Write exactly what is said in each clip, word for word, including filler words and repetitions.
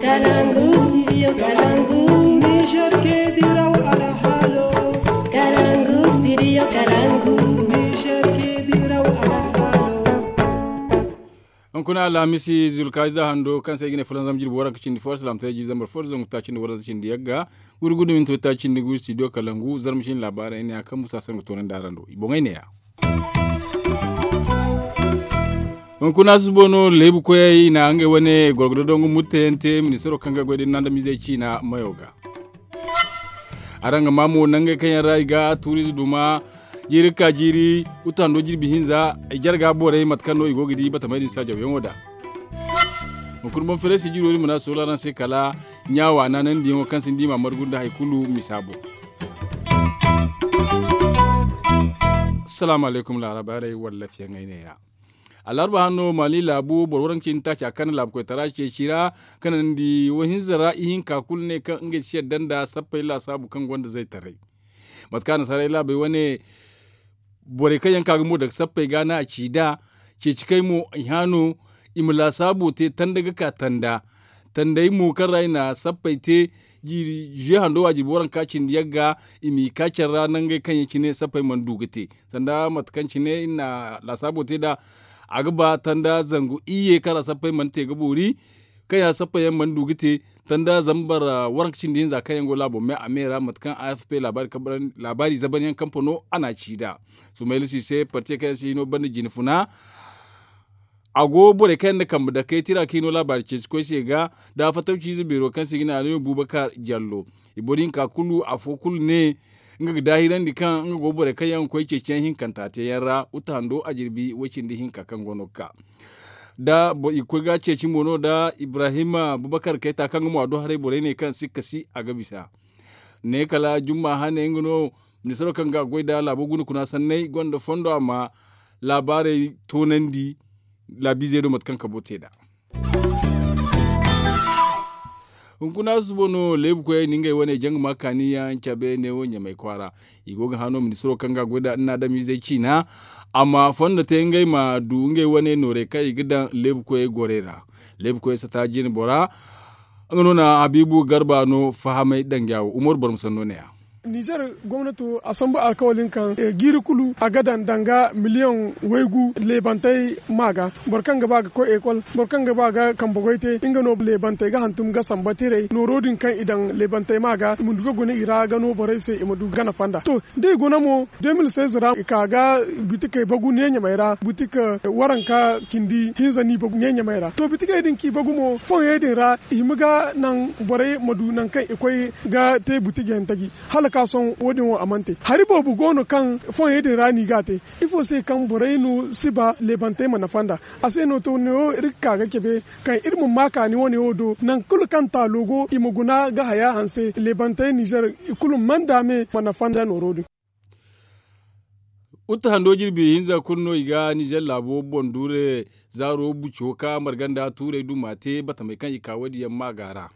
Kalangu studio kalangu. Niger ke diraw alhalo. Kalangu studio kalangu. Niger ke diraw alhalo. Hunkuna alhamisi zulkazi da hando kaŋ se ay ga ne fulanzam jirbi waranka cindi fo alsilaam taray jirbi zambar fo da zangu taaci nda waranza cindi yagga. Gurgudu minto taaci nda gu studio kalangu zarma cindi laabaarey ne ya kaŋ musa sangu toonandi araŋ do i boŋey ne ya. Hunkuna susubo no leebu koyey i na ngey wane gorgodo dongu mutteyaŋ te ministaro kaŋ ga goy da ni na adamizey ciina mayo ga. Araŋ ga ma mo nangey kaŋ yaŋ ra i ga tuuriize duma jiiri ga ka jiiri. Utu hando jirbi hinza i jarga borey mate kaŋ no i go ga di batamey din saajawyaŋo da. Hunkuna boŋ fereesi jiro din mana soola araŋ se kala ɲaawa naanandiyaŋo kaŋ sinda i ma margu nda hari kulu misa boŋ. Salaamu alaykum laarabaarey walla fiyaŋey ne ya. Allarba hanno mali laabu boro waranka cindi taaci a kaŋ na laabu koytara ceeci ra kaŋ nandi wohinza ra ihinka kulu ne kaŋ ngey si yadda nda sappey laasaabu kaŋ gonda zaytaray. Mate kaŋ a na saray laabey wane borey kaŋ yaŋ ka ga mo daga sappey ga no a ci nd'a. Ceeci kay mo i hã no i ma laasaabo te tanda ga ka tanda. Tandey mo kaŋ ra i na sappey te jiiri zuwe hando wa jirbi waranka cindi yagga i m'i ka care ra nangey kaŋ yaŋ cine sappey mana du ga te. Sanda mate kaŋ cine i na laasaabo te nd'a a ga ba tanda zangu iyye kaŋ ra sappey mana te ga boori. Kaŋ ya sappey yaŋ mana du ga te tanda zambar waranka cindi hinza kaŋ yaŋ go laabo me a me ra mate kaŋ a f p laabaari zaban yaŋ kampa no a n'a ci nd'a. Sumayla si se parti kaŋ yaŋ si hino banda jine funa. A go borey kaŋ yaŋ na kambe dakey tira ka hino laabaari ceeci koy se ga da fattaw ciize beero kaŋ se i ga ne a no bubakar jallo. I boro hinka kulu afo kulu ne nga ga daahirandi kaŋ nga go borey kaŋ yaŋ ga koy ceeciyaŋ hinkanta teeyaŋ ra uta hando a jirbi way-cindi hinka kaŋ go no ga ka da i ga koy ga ceeci mo no da ibrahim bubakar kayta kaŋ ga mo a do haray borey ne kaŋ sikka si a ga bisa. Ne kala jumma hane nga no ministaro kaŋ ga a goy da laabo guna kuna sanney gonda fondo a ma laabaarey toonandi laabiizey do mate kaŋ kabo te nd'a. Hunkuna susubo no leebu koyey na ngey wane janguma kaaniyaŋ cabe neewo ɲamay kwaara. I go ga hã no ministiro kaŋ ga a goy nd'a adamizey ciina a ma fondo te ngey ma du ngey wane noorey kaŋ i ga daŋ leebu koyey gorey ra. Leebu koyey sata jine bora nga no na habiibu garba no fahamay danga wo umaru barma sanno ne- ya. Nizer gomnato a sambu alkawali kaŋ jiiri kulu a ga daŋ danga miliyoŋ waygu leebantey ma ga. Boro kaŋ ga ba ga koy ekol boro kaŋ ga ba ga kambe goy te nga no leebantey ga hantum ga samba tiray nooro din kaŋ i daŋ leebantey ma ga i ma du ga guna i ra ga no borey se i ma du gana fanda to, da i guna mo de mil seize ra i ka ga bitikey bagu ne ɲamey ra bitik waranka cindi hinza no i bagu ne ɲamey ra to bitikey din kaŋ i bagu mo foŋey din ra i hima ga naŋ borey ma du nangu kaŋ i koy ga te butijey ntaji. Hala ka sohõ wo- din wo a mana te hari boobo go no kaŋ foŋey din ra no i ga a te. Ifo se kaŋ borey no si ba leebantey ma nafa nd'a a se no to neewo iri ga ka ga cabe kaŋ iri ma ma kaani wane wo do nangu kulu kaŋ taalo go i ma guna ga haya hanse leebantey nizer i kulu mana daame ma nafa nda nooro din. Uta hando jirbi hinza kulu no i ga nizer laabo boŋ duure zaaro buco ka marga nda tuurey duma te batamey kaŋ i ka wo- din yaŋ ma ga ra.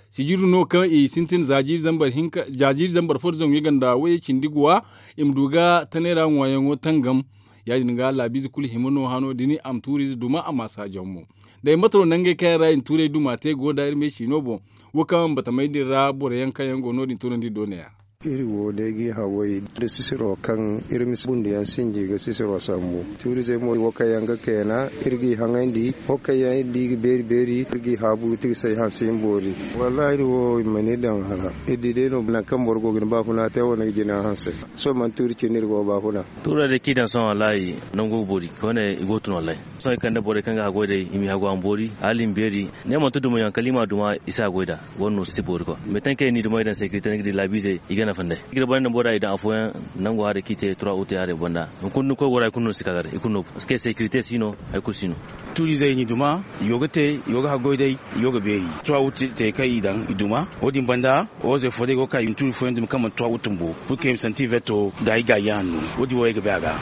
Sijiri no kaŋ i sintin za jiiri zambar fo da zangu i ganda wayey cindi guwa i ma du ga tanay ra ŋwaayaŋo tangam. Ya- din ga laabiize kulu hima no hano din a ma tuuriize duma a ma saajaŋ mo. Day mate no nangey kaŋ yaŋ ra i na tuurey duma te go nda iri me ciino boŋ wo kaŋ batamey din ra boro yaŋ kaŋ yaŋ go no- din toonandi doona ya. Iri wo day ga i haway nda sisiro kaŋ iri ma si bunduyaŋ sinji ga sisiro sambu tuurizey mo wo kaŋ yaŋ ga kayna iri ga i haŋayndi wo kaŋ yaŋ iri di ga beeri beeri iri ga i haabu ti ga say hanse iri boori. Wallaahi iri wo i mana iri daŋ hara iri di day no nangu kaŋ boro go ga ni baafuna te wane ga jina hanse. Sohõ mana tuuri cine iri go ga baafuna. Tuurey day kaŋ i daŋ sohõ wallaahi nangu ga boori koyne i go ga tun wallaahi. Sohõ i kande borey kaŋ ga haggoy day i m'i haggu a ma boori hala i ma beeri. Ne manti dumo yaŋ kala i m'a duma i si a goy nd'a. Wane no si boori kwa meeteŋ kaŋ i n'i dumey daŋ sekirite ni ga di laabiizey i ga nafa nd'ey. I ga boro daŋ bora i daŋ afooyaŋ nango haray kaŋ i te trois août haray banda hunkuna ni koy gora i kulu no si ka ga day i kulu no parce que sekirite si no. Hari kulu si no. Tuuriizey i n'i duma i go ga te i go ga haggoy day i go ga beeri trois août te kaŋ i daŋ i duma wo- din banda. Oozey fo day go ga ka i ma tuuri fooyaŋ dumi kaŋ manti trois août bumbo. Pour que i ma santi verto gaayi gaayi yaŋ hanno wo- din wo ay ga bay a ga.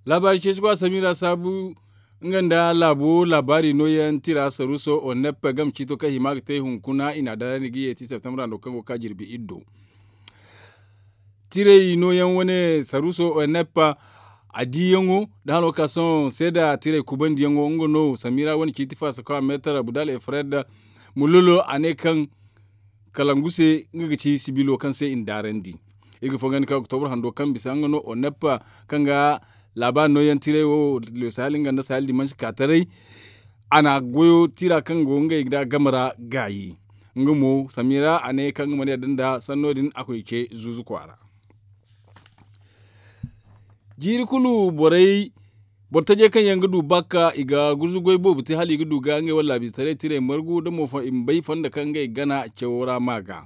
Laabaari ceeci go a samira saabu nga nda laabo laabaari nooyaŋ tira saruuso onep game ciito kaŋ hima ga te hunkuna i n'a daarandi ga yeeti septambra no kaŋ go ga ka jirbi iddo. Tirey nooyaŋ wane saruuso onep A diyaŋo da hano ka sohõ seeda tiray kubandiyaŋo nga no samira wane ciiti faasa kaŋ a meetar budal efred, mulolo a ne kaŋ kalangu se nga ga ci sibilo kaŋ se i na daarandi. Iri ga fongandi kaŋ oktobra hando kaŋ bisa nga no oneppa kaŋ ga laabaari nooyaŋ tiray wo, sahel nga nda sahel dimansi ka taray. A na goyo tira kaŋ go ngey da game ra gaayi. Nga mo samira a ne kaŋ nga mana yadda nda sanno din a koy ce zuuzu kwaara. Jiiri kulu borey boro tajey kaŋ yaŋ ga du bakka i ga gurzu goy boobo te hala i ga du ga ngey wane laabiize taray tirey margu da mo i ma bay fondo kaŋ ngey gana cawo ra ma ga.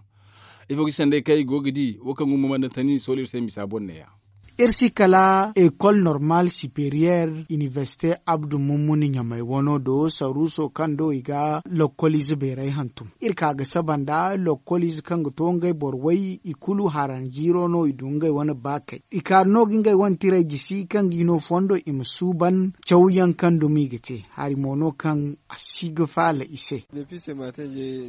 Ifo ga ci sanday kaŋ i go ga di wo kaŋ gumo mana tani sohõ iri se misa boŋ neeya. Iri si kala ekol normal superiyer inibersite abdu mummuni ɲamay wano do saruuso kaŋ do i ga lokkoliize beeray hantum. Iri ka ga saba nda lokkoliize kaŋ ga to ngey boro way i kulu haran jiiro no i du ngey wane baakey. I kaari no ga ngey wane tiray gisi kaŋ ga i no fondo i ma suuban cawyaŋ kaŋ dumi i ga te hari mo no kaŋ a si ga faala i se.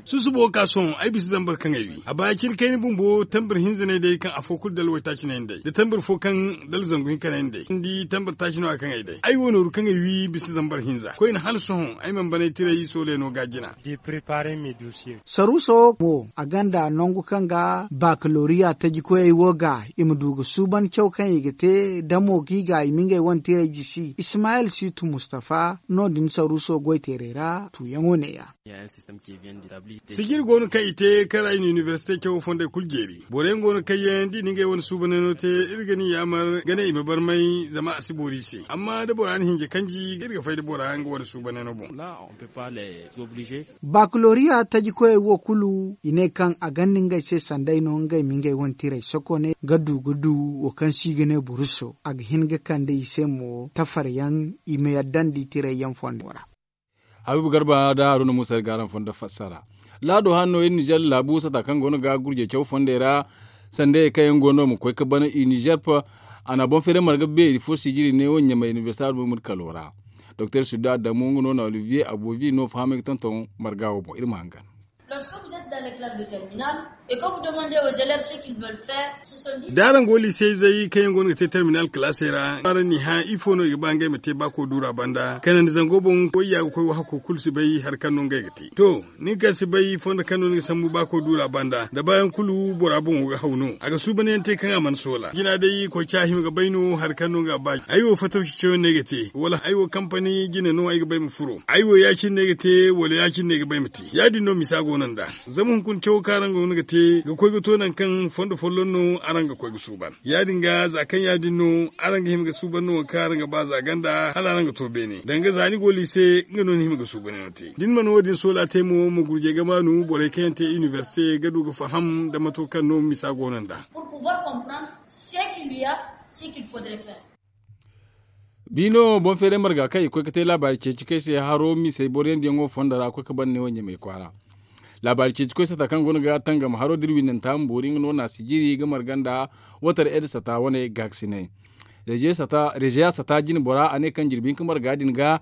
Susubo ka sohõ ay bisa zambar kaŋ ay wi a baya cine kayna bumbo tambar hinza no ay day kaŋ afo kulu dala waytaaci no ay na day da tambar fo kaŋ dala zangu hinka no ay na day ni di tambar taaci no a kaŋ ay day ay wo nooru kaŋ ay wi bisa zambar hinza koyne hala sohõ ay mana banay tiray sooley no ga jina. Saruuso mo a gonda nangu kaŋ ga bakaloriya tajikoyey wo ga i ma du ga suuban caw kaŋ i ga te damo ga i ga i ma ngey wane tiray jisi ismayil siitu mustafa no- din saruuso goyteerey ra tuuyaŋo neeya. Sijiri go no kaŋ i te kaŋ ra i na inibersite cawo fondey kulu jeeri boro yaŋ go no kaŋ yaŋ da i na ngey wane suubanayno te iri ga ni yaamar ga ne i ma barmay zama a si boori i se amma da bora na hinja kanji iri ga fay da bora nga wane suubanayno boŋ. Bakaloriya tajikoyey wo kulu i ne kaŋ a gonda ngey se sanday no ngey ma ngey wane tiray sokone ga du ga du wo kaŋ se i ga ne buruso a ga hin ga kande i se mo tafaryaŋ i ma yaddandi tirayyaŋ fondo ra. Habiibu garba da haruna muusa iri ga araŋ fondo fassara. Laado hano iri nizer laabu sata kaŋ go no ga gurjey caw fondey ra sandayey kaŋ yaŋ go no ma koy ga ban i nizer pa. A na boŋ feeray marga beeri fo sijiri ne wo ɲamay inibersite albumir kalo ra. Doktor sudda adamu nga no na olivier abovi no fahamay ga tonton marga wo boŋ iri ma hangan. Da araŋ go liisey zey kaŋ yaŋ go no ga te terminal kalaasey ra araŋ n'i hã ifo no i ga ba ngey ma te baako duura banda kanandi zango boŋ koy ya ga koy wo hakko kulu si bay hari kaŋ no ngey ga te to. Ni ga si bay fondo kaŋ no ni ga sambu baako duura banda da baayaŋ kulu bora boŋo ga haw no a ga suubanyaŋ te kaŋ a mana soola jina day koy ca hima ga bay no hari kaŋ no nga ba ay wo fatawci cayaŋ no ay ga te wala ay wo kampani jine no ay ga bay ma furo ay wo ya- cine no ay ga te wala ya- cine no ay ga bay ma te ya- din no misa go no nd'a. Zama hunkuna cawo kaŋ araŋ go no ga te ga koy ga to nangu kaŋ fondo folloŋ no araŋ ga koy ga suuban ya- din ga za kaŋ ya- din no araŋ ga hima ga suuban no wo kaŋ araŋ ga ba za ganda hala araŋ ga to beene danga za ni go liise nga no ni hima ga suuban yaŋo te da ni mana wo- din soola te mo ma gurjey ga maanu borey kaŋ yaŋ te inibersite ga du ga faham nda mato kaŋ no misa go no nd'a. Biino boŋ feeray marga kaŋ i koy ga te laabaari ceeci kaŋ ay se haro misey boroyandiyaŋo fondo ra koy ga ban ne wo ɲamay kwaara. Laabaari ceeci koy sata kaŋ go no ga tangam haro da iri windanta ma boori nga no na sijiri ga marga nda watar ed sata wane gaakasinay. Rezeya sata jine bora a ne kaŋ jirbi hinka marga din ga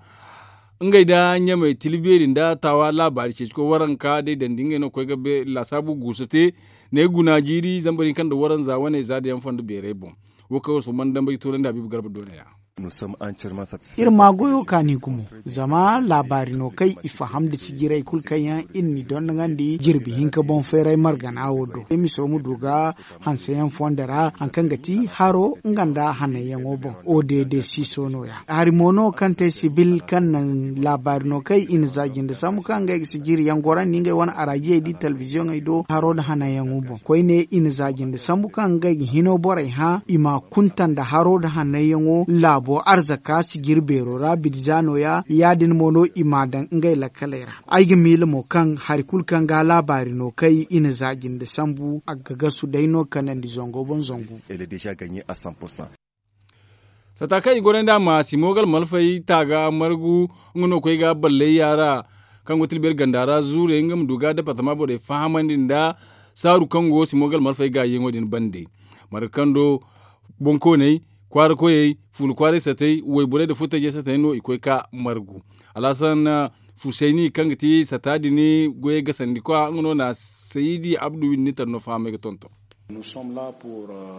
ngey nda ɲamay tila beeri nda taawa laabaari ceeci koy waranka day dandi ngey no ga koy ga laasaabu guusu te. Ne guna jiiri zambar hinka nda waranza wane za da yaŋ fondo beeray boŋ. Wo kaŋ wo suman dambay toonandi habiibu garba doona ya. Iri ma goyo kaani gumo zama laabaari no kaŋ i faham nda sijirey kulu kaŋ yaŋ iri n'i dondonandi jirbi hinka boŋ feeray margana wo do emiso ma du ga hanseyaŋ fondo ra hari kaŋ ga ti haro nga nda hananyaŋo boŋ. O d d siiso no- ya hari mo no kaŋ te sibil kaŋ naŋ laabaari no kaŋ i na za jinde sambu kaŋ ngey ga sijiriyaŋ gorandi ngey wane araajiyey da i talbiziyoŋey do haro nda hananyaŋo boŋ koyne i na za jinde sambu kaŋ ngey ga hino borey hã i ma kunta nda haro nda hananyaŋo laabo arzaka sijiri beero ra bidza no- ya ya- din mo no i m'a daŋ ngey lakkaley ra. Ay ga miila mo kaŋ hari kulu kaŋ ga laabaari no kay i na za jinde sambu a ga gasu day no kanandi zango boŋ zangu. Sata kaŋ i gorandi a ma simogal malfay taaga margu nga no ga koy ga ballay yaara kaŋ go tilbeeri ganda ra zuurey nga ma du ga departama borey fahamandi nda saaru kaŋ go simogal malfay gaayiyaŋo din bande. Marga kaŋ do boŋkooney kwaara koyey fuula kwaaray satay wayborey nda furtajey satay no i koy ga margu. Alhasan fusayni kaŋ ga ti sata din goyey gasandikwa nga no na saydi abdu windi ni tara no fahamay ga tonton.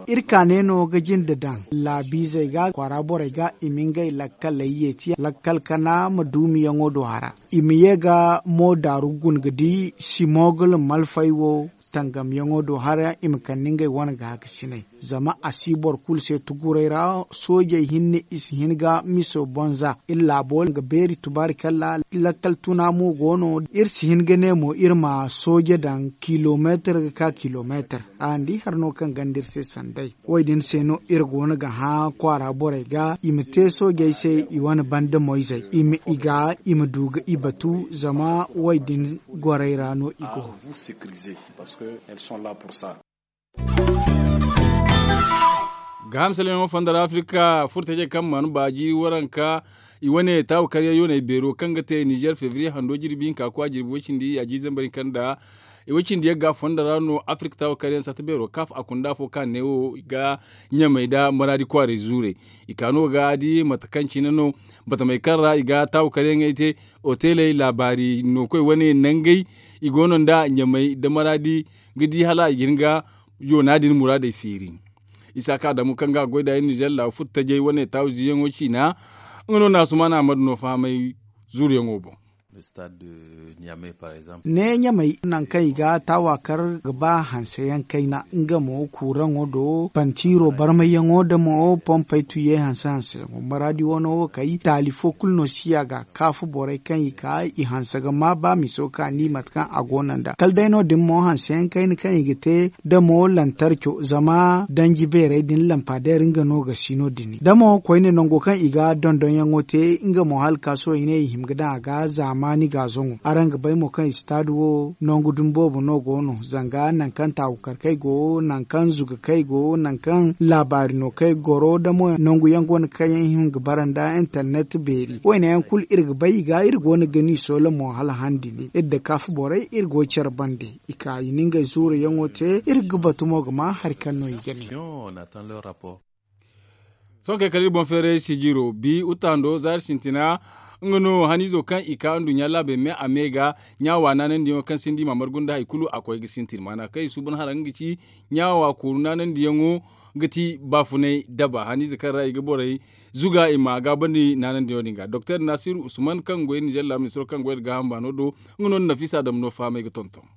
Iri kaane no ga jinde daŋ laabiizey ga kwaara borey ga i ma ngey lakkaley yeeti lakkal kana ma duumiyaŋo do hara. I ma ye ga mo daaru guna ga di simogul malfay wo tangamyaŋo do hara i ma kande ngey wane ga hakasinay. Zama a si boro kulu se tuguray ra soojey hinne i si hin ga miso bonza iri laabo ga beeri tubaari kalla. Lakkal tuna mo go no iri si hin ga ne mo iri ma sooje daŋ kilomeetar ga ka kilomeetar. Araŋ di hari no kaŋ ganda iri se sanday wo- din se no iri go no ga hã kwaara borey ga i ma te soojey se i wane banda moyzey i ma i ga i ma du ga i batu zama wo- din gorey ra no i go. Ga hamsalayaŋo fondo ra afirka furtajey kaŋ mana baaji waranka i wane taawa karyaŋ yooney beero kaŋ ga te nizer febriye hando jirbi hinka kwa jirbi way cindi ya jiiri zambar hinka nda i way cindi yaŋ ga fondo ra no afirka taawa karyaŋ sata beero kaaf a kunda afo kaŋ a ne wo ga ɲamey nda maraadi kwaaray zuurey. I ka no ga di mate kaŋ cine no batamey kaŋ ra i ga taawa karyaŋey te oteley laabaari no koy wane nangey i go no nda ɲamey nda maraadi ga di hala i ga hin ga yoona din muraadey feeri. Isaaka adamu kaŋ ga a goy da iri nizer laabu furtajey wane taawiziyaŋo ciina nga no naasumaana ahmadu no fahamay zuuruyaŋo boŋ. Ne ɲamey nangu kaŋ i ga taawa kar ga ba hanseyaŋ kayna nga mo kuuraŋo do pantiiro barmayyaŋo nda mo pompey tuye hanse hanseyaŋo maraadi wano wo kay taali fo kulu no si a ga kaafu borey kaŋ i ka i hanse ga ma ba miso kaani mate kaŋ a go no nd'a kala day no- din mo hanseyaŋ kayna kaŋ i ga te da mo lantarco zama danji beerey din lampadeer nga no ga si no- din da mo koyne nango kaŋ i ga dondonyaŋo te nga mo hala ka sohõ i ne i hima ga daŋ a ga zaamaani gaazoŋo araŋ ga bay mo kaŋ istaad wo nangu dumi boobo no go no zanga nangu kaŋ taawu karkey go nangu kaŋ zugakey go nangu kaŋ laabaari no kay goro da mo nangu yaŋ go no kaŋ yaŋ hima ga bara nda internet beeri wayne yaŋ kulu iri ga bay i ga iri go no ga ni soola mo hala handi ne iri da kaafu borey iri go care bande i ka i na ngey zuuru yaŋo te iri ga batu mo ga ma hari kaŋ no i ga ne. Sohõ kay kala iri boŋ feeray sijiro bi uttahando zaari sintina nga no haniizo kaŋ i ka nduɲɲa laabey me a me ga ɲaawa naanandiyaŋo kaŋ sinda i ma margu nda hari kulu a koy ga sintin maana kaŋ i suuban hara nga ga ci ɲaawa kooru naanandiyaŋo ga ti baafunay daba haniize kaŋ ra i ga borey zuga i ma gaabandi naanandiyaŋo din ga doktor nasiru usman kaŋ goy nizer laabu ministiro kaŋ goy nda gaaham baano do nga no nda nafisa dama no fahamay ga tonton.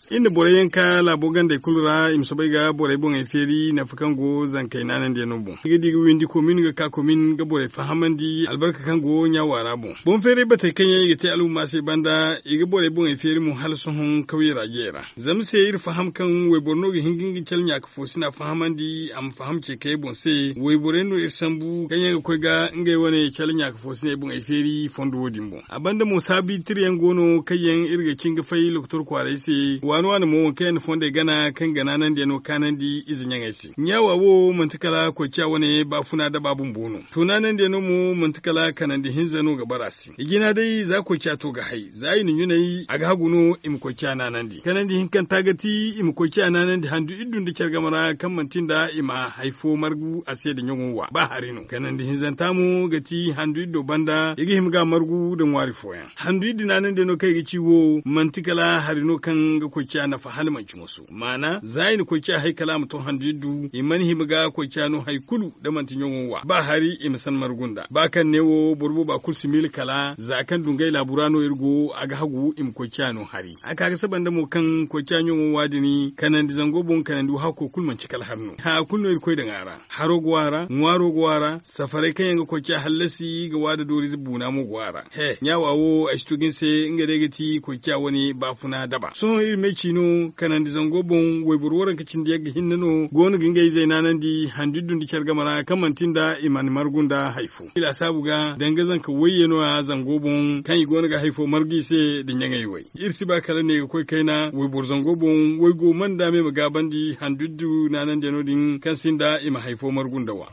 Iri na borey yaŋ ka laabo gandey kulu ra i ma soobay ga borey boŋey feeri nafa kaŋ go zankey naanandiyaŋo boŋ i ga di ga windi komin ga ka komin ga borey fahamandi albarka kaŋ go ɲaawa ra boŋ boŋ feeray batey kaŋ yaŋ i ga te alhumma se banda i ga borey boŋey feeri mo hala sohõ kawyey ra jey ra. Zama se iri faham kaŋ wayboro no ga hin ga nga cale ɲaaka foosina fahamandi a ma faham ce kayey boŋ se wayborey no iri sambu kaŋ yaŋ ga koy ga ngey wane cale ɲaaka foosiney boŋey feeri fondo wo- din boŋ a banda mo saabu tirayaŋ go no kaŋ yaŋ iri ga cin ga fay lokotor kwaaray se waani waani mo waŋ kaŋ yaŋ na fondey gana kaŋ ga naanandiyaŋo kaanandi ize ɲaŋey se ɲaawa wo manti kala koyciya wane baafuna daba bumbo no. To naanandiyaŋo mo manti kala kanandi hinza no ga bara se i jina day za koyciya to ga hay za i na ɲunay a ga hagu no i ma koyciya naanandi kanandi hinkanta ga ti i ma koyciya naanandi handu iddu nda care game ra kaŋ manti nda i ma hari fo margu a se nda ɲaŋo wa ba hari no kanandi hinzanta mo ga ti handu iddo banda i ga hima ga margu nda ŋwaari fooyaŋ handu iddi naanandiyaŋo kaŋ i ga ci wo manti kala hari no kaŋ ga koyciya nafa hala manci moso maana za i na koyciya hay kala a ma to handu iddu i mana hima ga koyciya no hari kulu da manti ɲaŋo wa ba hari i ma san margu nda ba kaŋ ne wo boro booba kulu si miila kala za kaŋ dungay laabu ra no iri go a ga hagu i ma koyciya no hari a ka ga saba nda mo kaŋ koyciya ɲaŋo wa- din kanandi zango boŋ kanandi wahako kulu manci kala hari no haya kulu no iri koy daŋ a ra haro go a ra ŋwaaro go a ra safaray kaŋ yaŋ ga koyciya hallasi ga waada doorize buuna mo go a ra he ɲaawa wo ay si to ga ni se nga day ga ti koyciya wane baafuna daba sohõ iri ma ay ci no kanandi zango boŋ wayboro waranka cindi yagga hinne no go no ga ngey izey naanandi handu iddu nda care game ra kaŋ manti nda i mana margu nda hari fo i laasaabu ga danga zanka wayye no- ya zango boŋ kaŋ i go no ga hari fo margu i se nda ɲaŋey way iri si ba kala ne ga koy kayna wayboro zango boŋ waygo mana nda me ma gaabandi handu iddu naanandiyaŋo din kaŋ sinda i ma hari fo margu nda wa.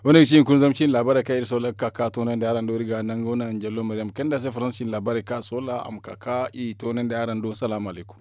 Wane ga ci hunkuna zama cin laabaarey kaŋ iri soola ga ka ka toonandi araŋ do iri ga nango naŋ jallo maryam kanda se faransa cin laabaarey kaŋ a soola a ma ka ka i toonandi araŋ do salaamu alaykum.